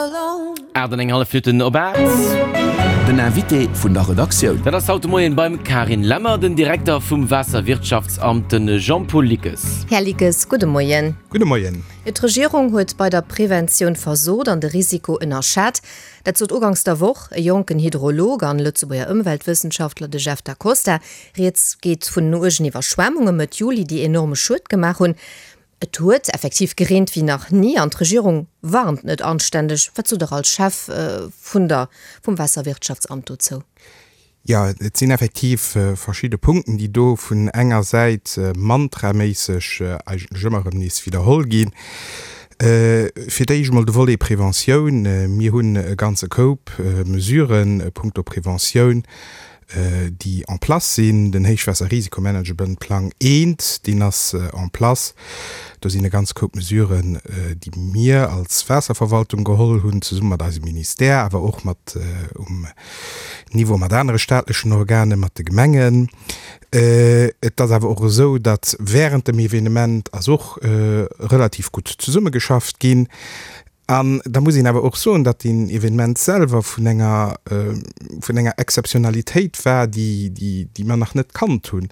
8 an eng hallef Minutten op 8. Den Invité vun der Redaktioun. Dat ass haut de Moien beim Carine Lemmer, den Direkter vum Waasserwirtschaftsamt, de Jean-Paul Lickes. Här Lickes, gudde Moien. Gudde Moien. D'Regierung huet bei der Preventioun versot an de Risiko ënnerschat. Dat sot uganks der Woch e jonken Hydrolog an Lëtzebuerger Ëmweltwëssenschaftler, de Jeff Da Costa. Rieds geet vun den uergen Iwwerschwemmunge Mëtt Juli, déi enorme Schued gemaach hunn. Et huet effektiv gereent wéi nach ni an d'Regierung warnt net anständeg. Wat sot Der als Chef vun der vum Waasserwirtschaftsamt dozou? Jo, et sinn effektiv verschidde Punkten, déi do vun enger Säit mantraméisseg eigentlech ëmmer erëm nees widderholl ginn. Fir d'éischt emol de Volet Preventioun. Mir hunn e ganze Koup Mesuren punkto Preventioun déi en place sinn, den Héichwaasserrisikomanagementplang eent, deen ass en place. Do sinn e ganz Koup Mesuren, déi mir als Waasserverwaltung geholl hunn, zesumme mat eisem Ministère, awer och mat um Niveau mat anere staatlechen Organen, mat de Gemengen. Et ass awer och esou, datt während dem Evenement ass och relativ gutt zesummegeschafft ginn. An da muss een awer och soen, datt deen Evenement selwer vun enger, vun enger Exzeptionalitéit war, déi, déi, déi mer nach net kannt hunn.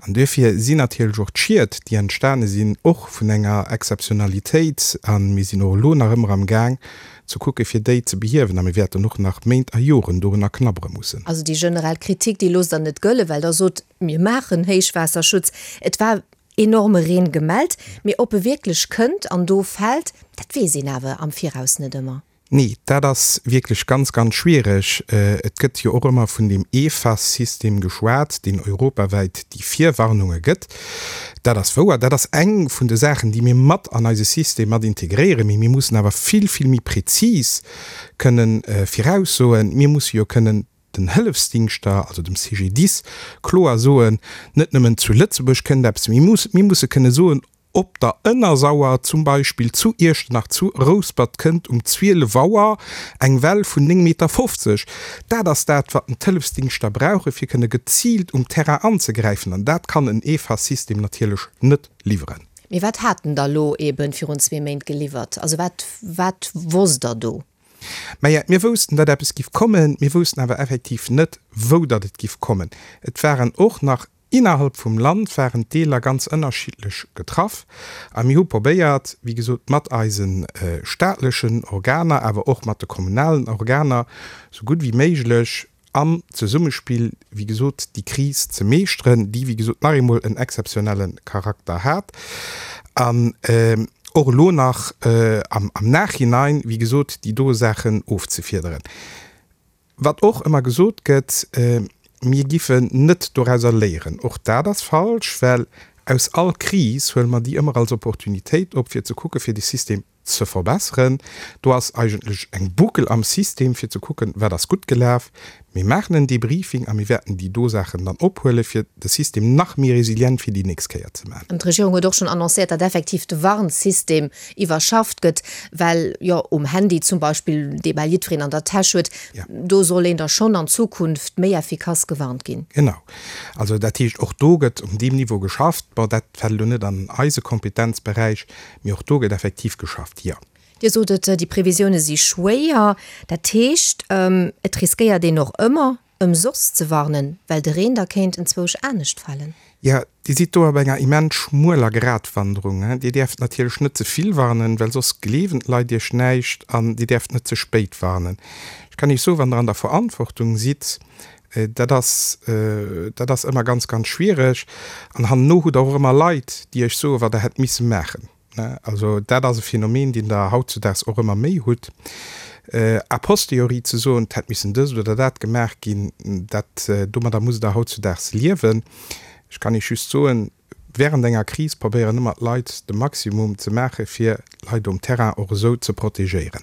An duerfir sinn natierlech och d'Schied, déi entstane sinn, och vun enger Exzeptionalitéit. A mir sinn och elo nach ëmmer am Gaang ze kucke fir déi ze behiewen. A mir wäerten och nach Méint a Joren dorunner knabbere mussen. Also déi generell Kritik, déi loosst Der net gëllen, well Der sot, mir maachen Héichwaasserschutz. Et war enorme Reen gemellt, mee ob e wierklech kënnt an do fält, dat weess een awer am Viraus net ëmmer. Nee, dat ass wierklech ganz, ganz schwiereg. Et gëtt jo och ëmmer vun deem EFAS-System geschwat, deen europawäit déi Virwarnunge gëtt. Dat ass wouer, dat ass eng vun de Saachen, déi mir mat an eise System mat integréieren. Mee mir mussen awer vill, vill méi prezis kënnen viraussoen. Mir musse jo kënnen den Hëllefsdingschter, also dem CGDIS, kloer soen, net nëmmen zu Lëtzebuerg kënnt eppes, mee mir musse kënne soen, op der Ënnersauer zum Beispill, zu Iechternach, zu Rouspert kënnt um 12 Auer eng Well vun 9,50 Meter. Dat ass dat, wat den d'Hëllefsdingschter brauchen, fir kënne geziilt um Terrain anzegräifen. An dat kann en EFAS-System natierlech net liwweren. Mee wat hat en da lo eeben virun zwee Méint geliwwert? Also wat, wat wosst Der do? Maja, mir woussten, datt eppes giff kommen, mir woussten awer effektiv net, wou datt et giff kommen. Et waren och nach innerhalb vum Land waren d'Deeler ganz ënnerschiddlech getraff a mir hu probéiert, wéi gesot, mat eise staatlechen Organer, awer och mat de kommunalen Organer, sou gutt wéi méiglech am Zesummespill, wéi gesot, déi Kris ze meeschteren, déi, wéi gesot, nach eemol en exzeptionelle Charakter hat an och elo nach am Nachhinein, wéi gesot, déi do Saachen ofzefiederen. Wat och ëmmer gesot gëtt, mir giffen net dorauser léieren, och dat ass falsch, well aus all Kris huele mer déi ëmmer als Opportunitéit op, fir ze kucken, fir de System ze verbesseren. Do ass eigentlech eng Boucle am System, fir ze kucken, wat ass gutt gelaf. Mir maachen en Debriefing a mir wäerten déi do Saachen dann ophuelen, fir de System nach méi resilient fir déi nächst Kéier ze maachen. An d'Regierung huet och schonn annoncéiert, datt effektiv de Warnsystem iwwerschafft gëtt, well jo um Handy zum Beispill, dee bal jiddwereen an der Täsch huet, do soll een da schonn an Zukunft méi effikass gewarnt ginn. Genau. Also dat heescht, och do gëtt um deem Niveau geschafft. Bon, dat fält elo net an eise Kompetenzberäich, Mee och do gëtt effektiv geschafft, jo. Dir sot et, déi Previsioune si schwéier. Dat heescht, et riskéiert een och ëmmer, ëmsoss ze warnen, well de Reen da kéint enzwousch anescht falen. Jo, Dir sidd do op enger immens schmueler Gratwanderung. Dir däerft natierlech net ze vill warnen, well soss gleewen d'Leit Iech näischt, an Dir däerft net ze spéit warnen. Ech kann Iech soen, wann Der an der Verantwortung sidd, Dat ass, dat ass ëmmer ganz, ganz schwiereg. An hannenno hutt Der och ëmmer Leit, déi Iech soen, wat Der hätt misse maachen. Also dat ass e Phänomen, deen Der hautzudaags och ëmmer méi hutt. A posteriori ze soen, et hätt missen dëst oder dat gemaach ginn, dat, domadder musst Der hautzudaags liewen. Ech kann Iech just soen, Während enger Kris probéieren ëmmer d'Leit de Maximum ze maache fir d'Leit um Terrain och esou ze protegéieren.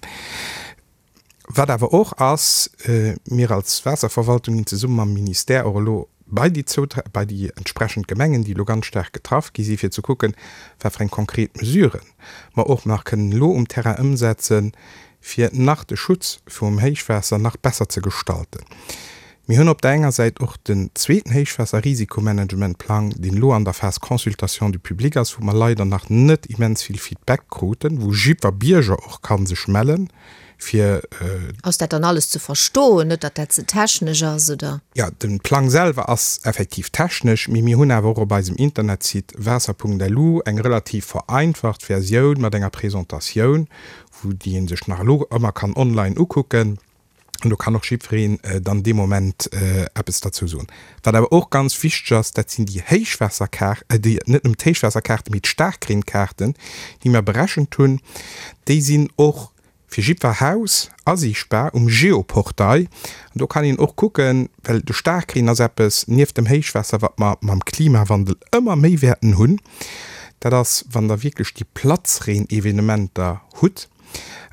Wat awer och ass, mir als Waasserverwaltung ginn zesumme mam Ministère och elo bei déi bei déi entsprechend Gemengen, déi elo ganz staark getraff gi sinn, fir ze kucken, wat fir eng konkret Mesuren mer och nach kënnen elo um Terrain ëmsetzen, fir nach de Schutz virum Héichwaasser nach besser ze gestalten. Mir hunn op der enger Säit och den zweeten Héichwaasserrisikomanagementplang, deen elo an der Phase Consultation du public ass, wou mer leider nach net immens vill Feedback kruten, wou jiddwer Bierger och ka sech mellen. Fir. Ass dat dann alles ze verstoen? Net, datt dat ze technesch ass, oder? Jo, de Plang selwer ass effektiv technesch, mee mir hunn awer och op eisem Internetsite waasser.lu eng relativ vereinfacht Versioun mat enger Presentatioun, wou déi ee sech nach elo ëmmer kann online ukucken. An do kann och jiddwereen dann dee Moment eppes derzou soen. Wat awer och ganz wichteg ass, dat sinn déi Héichwaasserkaar-, déi, net nëmmen d'Héichwaasserkaarten, mee d'Staarkreenkaarten, déi mer berechent hunn. Déi sinn och fir jiddwer Haus asiichtbar um Geoportail. An do kann een och kucken, well de Staarkreen ass eppes, nieft dem Héichwaasser, wat mer mam Klimawandel ëmmer méi wäerten hunn. Dat ass, wann Der wierklech déi Platzreen-Evenementer hutt.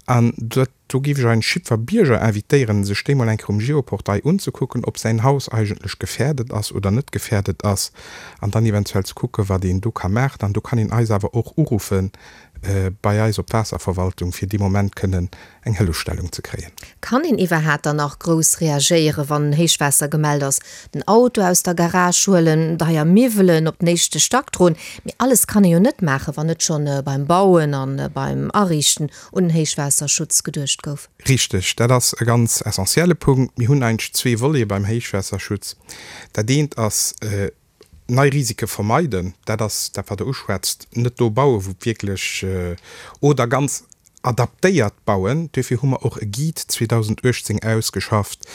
An dat, do géif ech eigentlech jiddwer Bierger invitéieren, sech déi mol eng Kéier um Geoportail unzekucken, ob säin Haus eigentlech gefährdet ass oder net gefährdet ass, an dann eventuell ze kucken, wat een do ka maachen. An do kann een eis awer och uruffen bei eis op d'Waasserverwaltung, fir dee Moment kënnen eng Hëllefstellung ze kréien. Kann een iwwerhaat dann nach grouss reagéieren, wann Héichwaasser gemellt ass? Den Auto aus der Garage huelen, deier Miwwelen op den éischte Stack droen, mee alles kann ee jo net maachen, wann net schonn beim Bauen an beim Ariichten un den Héichwaasserschutz geduecht gouf. Richteg, dat ass e ganz essentielle Punkt. Mir hunn eigentlech zwee Volete beim Héichwaasserschutz. Dat eent ass nei Risike vermeiden, dat ass dat wat Der uschwätzt, net do bauen, wou et wierklech, oder ganz adaptéiert bauen. Duerfir hu mer och e Guide 2018 ausgeschafft,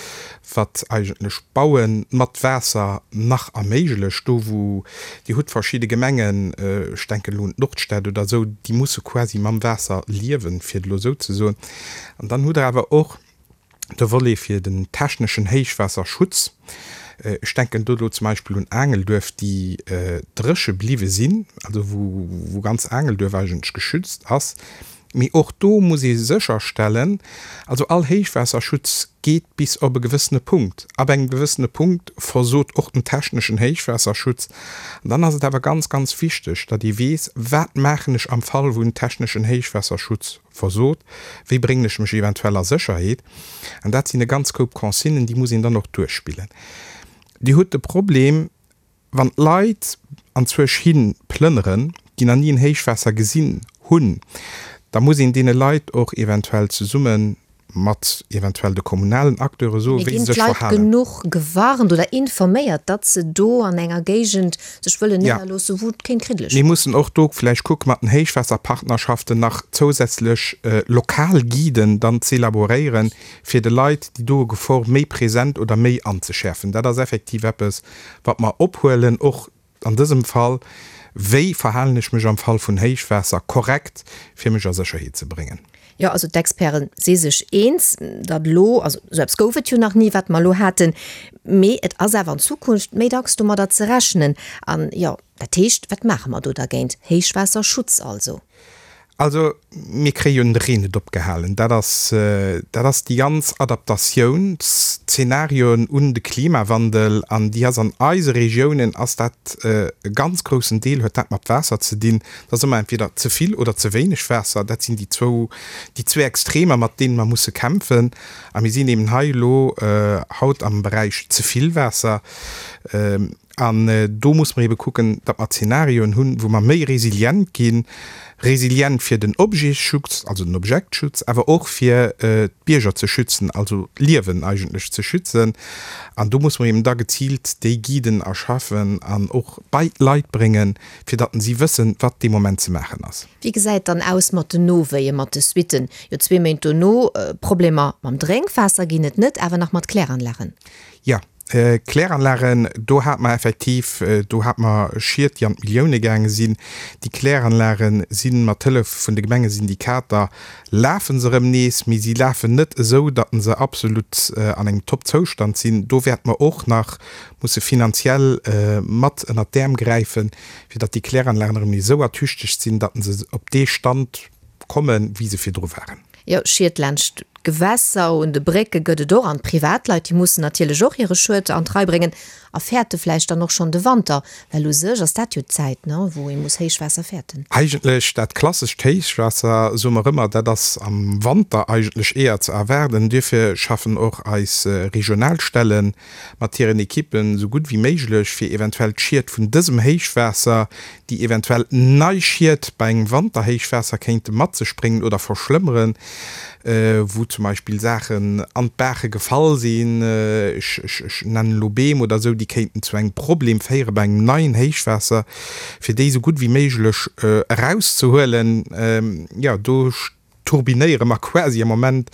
wat eigentlech Baue mat Waasser nach erméiglecht, do wou, Dir hutt verschidde Gemengen, ech denken elo un d'Nordstad oder esou, déi musse quasi mam Waasser liewen, fir et elo esou ze soen. An dann hutt Der awer och de Volet fir den techneschen Héichwaasserschutz, ech denken do elo zum Beispill un Aangelduerf, déi dréche bliwwe sinn, also wou ganz Aangelduerf eigentlech geschützt ass. Mee och do muss ee sécherstellen, also all Héichwaasserschutz geet bis op e gewëssene Punkt. Ab engem gewëssene Punkt versot och den techneschen Héichwaasserschutz. An dann ass et awer ganz, ganz wichteg, datt ee weess, Wat maachen ech am Fall, wou en techneschen Héichwaasserschutz versot, wéi bréngen ech mech eventuell a Sécherheet? An dat sinn e ganz Koup Consignen, déi muss een dann och duerchspillen. Dir hutt de Problem, wann d'Leit anzwousch hi plënneren, déi nach ni en Héichwaasser gesinn hunn, da muss een deene Leit och eventuell zesumme mat eventuell de kommunalen Acteure soen, Mee wéi ginn se sech d'Leit verhalen. genuch gewarnt oder informéiert, datt se do an enger Géigend sech wëllen Ja. néierloossen, wou et kéint kriddeleg Mir ginn? mussen och do vläicht kucke mat den Héichwaasserpartnerschaften nach zousätzlech lokal Guiden dann z'elaboréieren, fir de Leit déi doe Gefor méi present oder méi anzeschäerfen. Dat ass effektiv eppes, wat mer ophuelen, och An dësem Fall, wéi verhalen ech mech am Fall vun Héichwaasser korrekt, fir mech a Sécherheet ze bréngen? Jo, also d'Experte si sech eens, datt elo, also esou eppes gouf et jo nach ni, wat mer elo haten, mee et ass awer an Zukunft méi dacks domadder ze rechnen. An jo, dat heescht, wat maache mer do dergéint? Héichwaasserschutz also. Also, mir kréie jo den Reen net opgehalen. Dat ass, dat ass déi ganz Adaptatiounsszenarioen un de Klimawandel. An déi ass an eise Regiounen ass dat e ganz groussen Deel huet dat mat Waasser ze dinn. Dat ass ëmmer entweder ze vill oder ze wéineg Waasser. Dat sinn déi zwou, déi zwee Extremer, mat deene mer musse kämpfen. A mir sinn eben hei elo haut am Beräich ze vill Waasser. An do muss mer ebe kucken, datt mer Zenarioen hunn, wou mer méi resilient ginn, resilient fir den Objetschutz, also den Objektschutz, awer och fir d'Bierger ze schützen, also d'Liewen eigentlech ze schützen. An do muss mer eben da geziilt déi Guiden erschaffen an och bei d'Leit bréngen, fir datt si wëssen, wat dee Moment ze maachen ass. Wéi gesäit dann aus mat den Nowéien, mat de Suitten? Jo, zwee Méint dono, Problemer mam Drénkwaasser ginn et net, awer nach mat Kläranlagen. Jo, Kläranlagen, do hate mer effektiv, do hate mer Schied, déi an d'Millioune gaange sinn. Déi Kläranlage si mat Hëllef vun de Gemengesyndikater, lafe se erëm nees, mee si lafen net esou, datt se absolut an engem Top-Zoustand sinn. Do wäerte mer och nach musse finanziell mat ënnert d'Äerm gräifen, fir datt déi Kläranlagen erëm nees esou ertüchtegt sinn, datt se op dee Stand kommen, wéi se virdru waren. Jo, Schied laanscht d'Gewässer, un de Brécke gëtt et och. An d'Privatleit, déi mussen natierlech och hire Schued an d'Rei bréngen a fäerte vläicht dann och schonn de Wanter, well u sech ass dat jo d'Zäit, ne, wou ee muss Héichwaasser fäerten. Eigentlech dat klassescht Héichwaasser, soe mer ëmmer, dat ass am Wanter eigentlech eher ze erwaarden. Duerfir schaffen och eis regional Stellen mat hiren Ekippen esou gutt wéi méiglech, fir eventuell d'Schied vun dësem Héichwaasser, déi eventuell nei Schied bei engem Wanterhéichwaasser kéinte mat sech bréngen oder verschlëmmeren, wou. zum Beispill Saachen an d'Baache gefall sinn, ech nennen elo Beem oder esou, déi kéinten zu engem Problem féiere bei engem neien Héichwaasser, fir déi esou gutt wéi méiglech erauszehuelen. Jo, do turbinéiere mer quasi am Moment,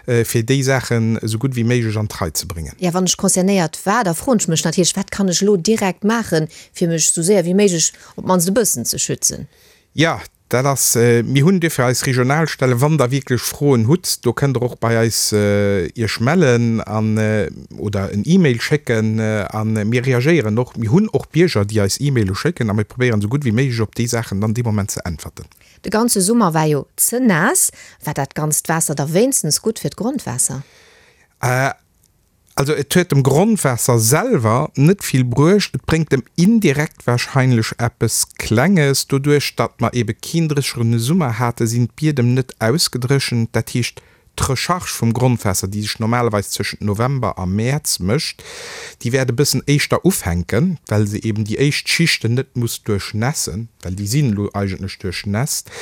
fir déi Saachen esou gutt wéi méiglech an d'Rei ze bréngen. Jo, wann ech concernéiert war, da froen ech mech natierlech, Wat kann ech elo direkt maachen, fir mech esou séier wéi méiglech op d'mannst e bëssen ze schützen? Jo, Dat ass, mir hunn duerfir eis Regionalstellen, wann Der wierklech Froen hutt, do kënnt Der och bei eis Iech mellen an oder en E-Mail schécken a mir reagéieren och. Mir hunn och Bierger, déi eis E-Maile schécken a mir probéieren esou gutt wéi méiglech op déi Saachen dann dee Moment ze äntwerten. De ganze Summer war jo ze naass. War dat ganzt Waasser da wéinstens gutt fir d'Grondwaasser? Also et huet dem Grondwaasser selwer net vill bruecht, et bréngt em indirekt wahrscheinlech eppes Klenges. Doduerch datt mer ebe keen dréchene Summer hate sinn d'Biedem net ausgedréchent. Dat heescht d'Recharge vum Grondwaasser, déi sech normalerweis zwëschent November a Mäerz mécht, déi wäert e bëssen éischter ufänken, well se eben déi éischt Schichten net muss duerchnässen, well déi sinn elo eigentlech duerchnässt.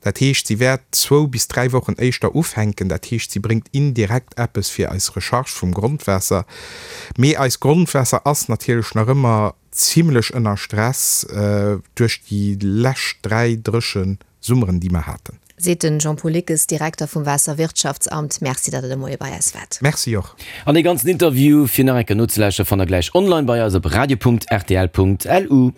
Dat heescht, si wäert zwou bis dräi Wochen éischter ufänken. Dat heescht, si bréngt indirekt eppes fir eis Recharge vum Grondwaasser. Mee eist Grondwaasser ass natierlech nach ëmmer zimlech ënner Stress duerch déi lescht dräi dréche Summeren, déi mer haten. Seet den Jean-Paul Lickes, Direkter vum Waasserwirtschaftsamt. Merci, datt Der de Moie bei eis waart. Merci och. An dee ganzen Interview fir nach eng Kéier nozelauschteren, fannt der gläich online bei eis op radio.rtl.lu.